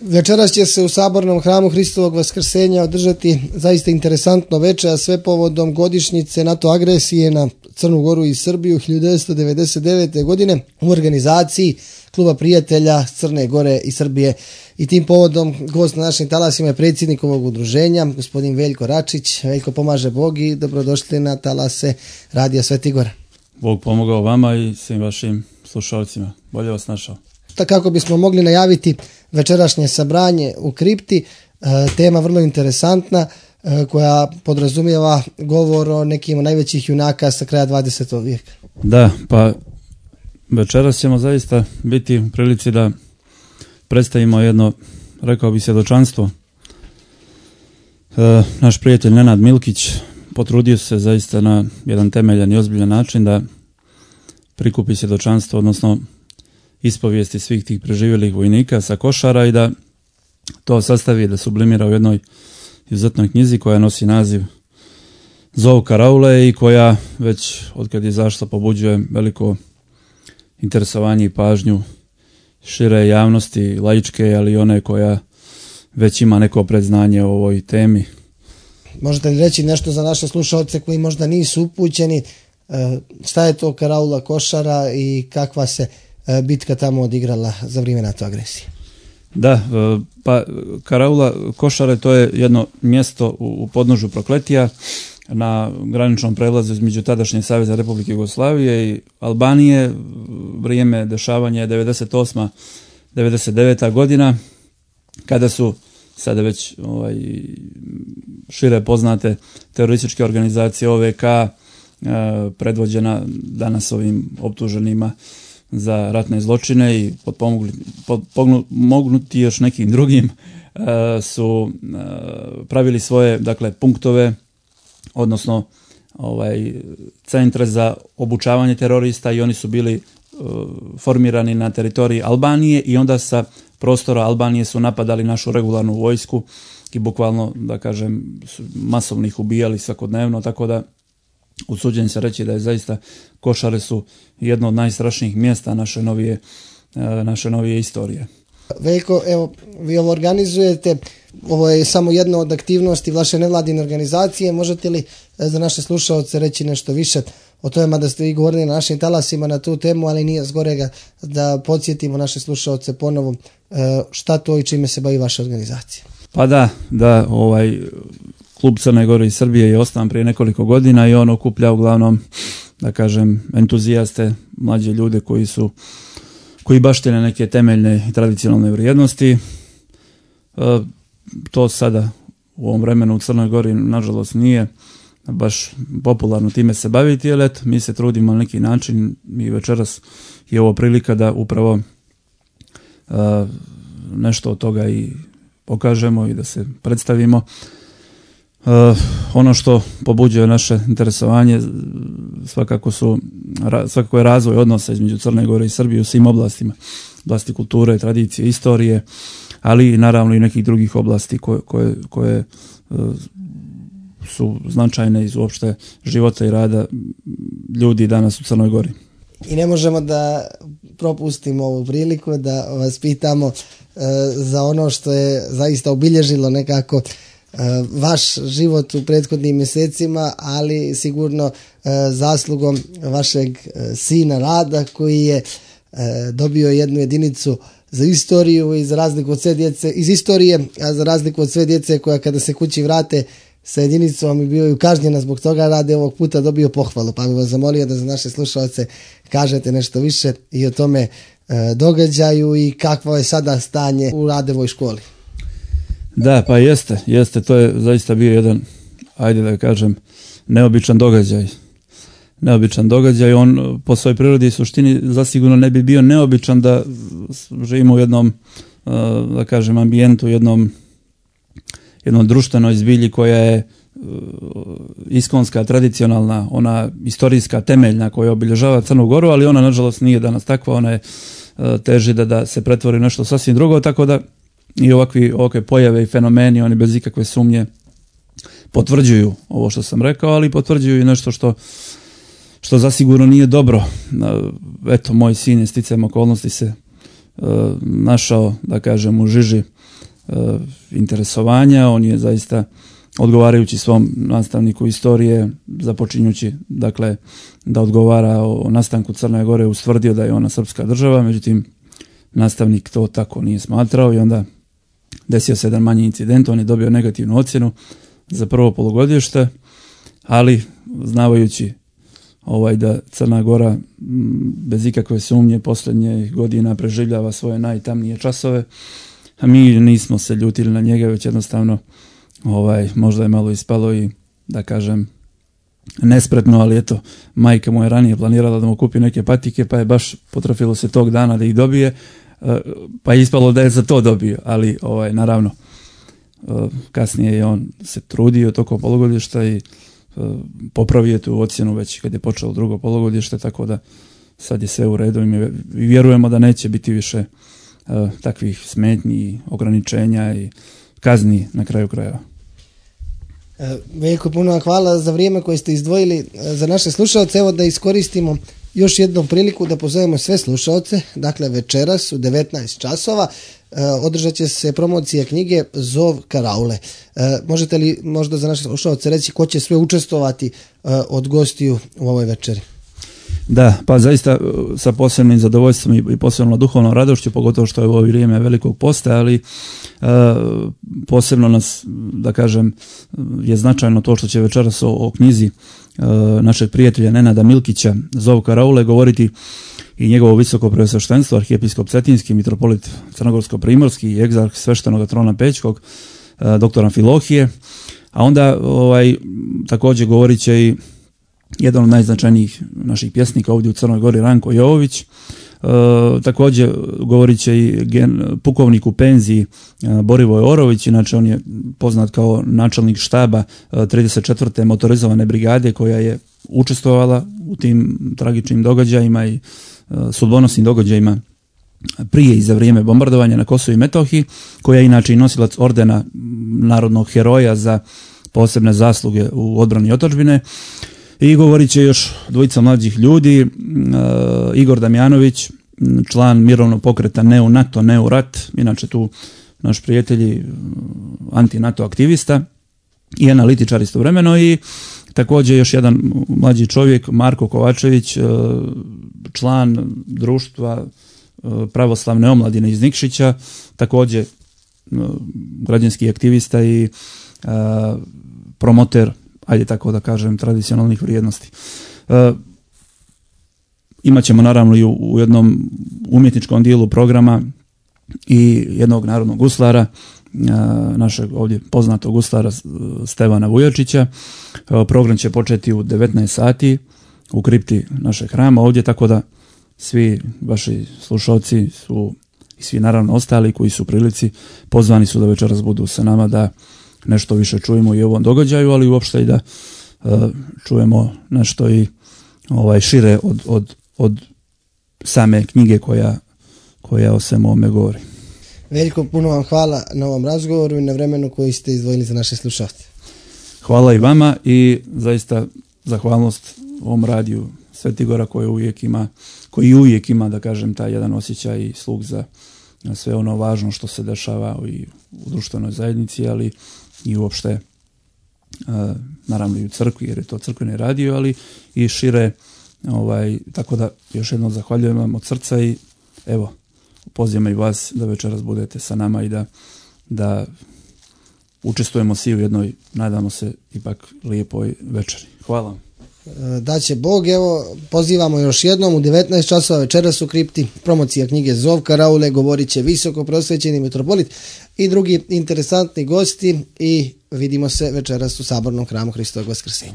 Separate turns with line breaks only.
Večeras će se u Sabornom hramu Hristovog Vaskrsenja održati zaista interesantno veče, a sve povodom godišnjice NATO agresije na Crnu Goru i Srbiju 1999. godine u organizaciji Kluba prijatelja Crne Gore i Srbije. I tim povodom gost na našim talasima je predsjednik ovog udruženja, gospodin Veljko Račić. Veljko, pomaže Bog i dobrodošli na talase Radija Sveti Gora.
Bog pomogao vama i svim vašim slušalcima. Bolje vas našao.
Kako bismo mogli najaviti večerašnje sabranje u kripti, tema vrlo interesantna koja podrazumijeva govor o nekim najvećih junaka sa kraja 20. vijeka.
Da, pa večeras ćemo zaista biti u prilici da predstavimo jedno, rekao bi, svjedočanstvo. Naš prijatelj Nenad Milkić potrudio se zaista na jedan temeljan i ozbiljan način da prikupi svjedočanstvo, odnosno ispovijesti svih tih preživjelih vojnika sa Košara i da to sastavi, da sublimira u jednoj izuzetnoj knjizi koja nosi naziv Zov karaule i koja već otkad je izašla pobuđuje veliko interesovanje i pažnju šire javnosti, laičke, ali i one koja već ima neko predznanje o ovoj temi.
Možete li reći nešto za naše slušalce koji možda nisu upućeni, šta je to karaula Košara i kakva se bitka tamo odigrala za vrijeme NATO agresije?
Da, pa karaula Košare to je jedno mjesto u podnožju Prokletija na graničnom prelazu između tadašnje Savezne Republike Jugoslavije i Albanije. Vrijeme dešavanja je 98. 99. godina kada su sada već šire poznate terorističke organizacije OVK predvođena danas ovim optuženima za ratne zločine i potpomognuti još nekim drugim su pravili svoje, dakle, punktove, odnosno centre za obučavanje terorista i oni su bili formirani na teritoriji Albanije i onda sa prostora Albanije su napadali našu regularnu vojsku i bukvalno, da kažem, masovno ih ubijali svakodnevno, tako da usuđujem se reći da je zaista Košare su jedno od najstrašnijih mjesta naše novije istorije.
Veljko, evo, vi ovo organizujete, ovo je samo jedna od aktivnosti vaše nevladine organizacije. Možete li za naše slušalce reći nešto više o tome, mada ste vi govorili na našim talasima na tu temu, ali nije zgorega da podsjetimo naše slušalce ponovo šta to i čime se bavi vaša organizacija? Pa
da, Klub Crne Gore i Srbije je osnovan prije nekoliko godina i on okuplja uglavnom, da kažem, entuzijaste, mlađe ljude koji baštine neke temeljne i tradicionalne vrijednosti. To sada u ovom vremenu u Crnoj Gori nažalost nije baš popularno time se baviti, ali eto, mi se trudimo na neki način i večeras je ovo prilika da upravo nešto od toga i pokažemo i da se predstavimo. Ono što pobuđuje naše interesovanje svakako je razvoj odnosa između Crne Gore i Srbije u svim oblastima, oblasti kulture, tradicije, istorije, ali i naravno i nekih drugih oblasti koje su značajne iz uopšte života i rada ljudi danas u Crnoj Gori.
I ne možemo da propustimo ovu priliku da vas pitamo za ono što je zaista obilježilo nekako vaš život u prethodnim mjesecima, ali sigurno zaslugom vašeg sina Rada koji je dobio jednu jedinicu za istoriju i za razliku od sve djece iz istorije, a za razliku od sve djece koja kada se kući vrate sa jedinicom i bio kažnjena zbog toga, Rade ovog puta dobio pohvalu, pa bih vas zamolio da za naše slušalce kažete nešto više i o tome događaju i kakvo je sada stanje u Radevoj školi.
Da, pa jeste, to je zaista bio jedan, ajde da kažem, neobičan događaj. On po svojoj prirodi i suštini zasigurno ne bi bio neobičan da živimo u jednom, da kažem, ambijentu, jednom društvenoj zbilji koja je iskonska, tradicionalna, ona istorijska, temeljna koja obilježava Crnu Goru, ali ona nažalost nije danas takva, ona je teži da se pretvori nešto sasvim drugo, tako da i ovakve pojave i fenomeni, oni bez ikakve sumnje potvrđuju ovo što sam rekao, ali potvrđuju i nešto što zasigurno nije dobro. Eto, moj sin je sticajem okolnosti se našao, da kažem, u žiži interesovanja. On je zaista, odgovarajući svom nastavniku istorije, započinjući dakle da odgovara o nastanku Crne Gore, ustvrdio da je ona srpska država, međutim nastavnik to tako nije smatrao i onda desio se jedan manji incident. On je dobio negativnu ocjenu za prvo polugodište, ali znavajući da Crna Gora bez ikakve sumnje posljednje godina preživljava svoje najtamnije časove, a mi nismo se ljutili na njega, već jednostavno možda je malo ispalo i, da kažem, nespretno, ali eto, majka mu je ranije planirala da mu kupi neke patike, pa je baš potrafilo se tog dana da ih dobije, pa je ispalo da je za to dobio, ali naravno kasnije je on se trudio tokom polugodišta i popravio tu ocjenu već kad je počelo drugo polugodište, tako da sad je sve u redu i vjerujemo da neće biti više takvih smetnji, ograničenja i kazni na kraju krajeva.
Veliko puno hvala za vrijeme koje ste izdvojili za naše slušalce. Evo da iskoristimo još jednom priliku da pozovemo sve slušalce. Dakle, večeras u 19 časova održat će se promocija knjige Zov Karaule. Možete li možda za naše slušalce reći ko će sve učestvovati od gostiju u ovoj večeri?
Da, pa zaista sa posebnim zadovoljstvom i posebno duhovnom radošću, pogotovo što je u ovo vrijeme velikog posta, ali posebno nas, da kažem, je značajno to što će večeras o knjizi našeg prijatelja Nenada Milkića Zov Karaule govoriti i njegovo visoko preosveštenstvo, arhijepiskop Cetinski, mitropolit Crnogorsko-primorski i egzarh sveštenog trona Pećkog, dr. Amfilohije, a onda također govorit će i jedan od najznačajnijih naših pjesnika ovdje u Crnoj Gori, Ranko Jovović. Također govorit će i pukovnik u penziji Borivoj Orović, inače on je poznat kao načelnik štaba 34. motorizovane brigade koja je učestvovala u tim tragičnim događajima i sudbonosnim događajima prije i za vrijeme bombardovanja na Kosovu i Metohiji, koja je inače i nosilac ordena narodnog heroja za posebne zasluge u odbrani otadžbine. I govorit će još dvojica mlađih ljudi, Igor Damjanović, član mirovnog pokreta Ne u NATO, Ne u rat, inače tu naš prijatelj anti-NATO aktivista i analitičar istovremeno, i također još jedan mlađi čovjek, Marko Kovačević, član društva pravoslavne omladine iz Nikšića, također građanski aktivista i promoter, ajde tako da kažem, tradicionalnih vrijednosti. Imaćemo naravno i u jednom umjetničkom dijelu programa i jednog narodnog guslara, našeg ovdje poznatog guslara Stevana Vujačića. Program će početi u 19 sati u kripti našeg hrama ovdje, tako da svi vaši slušalci su i svi naravno ostali koji su u prilici pozvani su da večeras budu sa nama, da nešto više čujemo i o ovom događaju, ali uopšte i da čujemo nešto i šire od same knjige koja o svemu ovome govori.
Veliko puno vam hvala na ovom razgovoru i na vremenu koji ste izdvojili za naše slušalce.
Hvala i vama i zaista zahvalnost ovom radiju Svetigora koji uvijek ima, da kažem, taj jedan osjećaj i sluh za sve ono važno što se dešava i u društvenoj zajednici, ali i uopšte naravno i u crkvi, jer je to crkveni radio, ali i šire, tako da još jednom zahvaljujem vam od srca i evo, pozivam i vas da večeras budete sa nama i da učestvujemo svi u jednoj, nadamo se, ipak lijepoj večeri. Hvala vam.
Da će Bog, evo, pozivamo još jednom u 19 časova večeras u kripti, promocija knjige Zov Karaule, govorit će visoko prosvećeni mitropolit i drugi interesantni gosti i vidimo se večeras u Sabornom hramu Hristovog Vaskrsenja.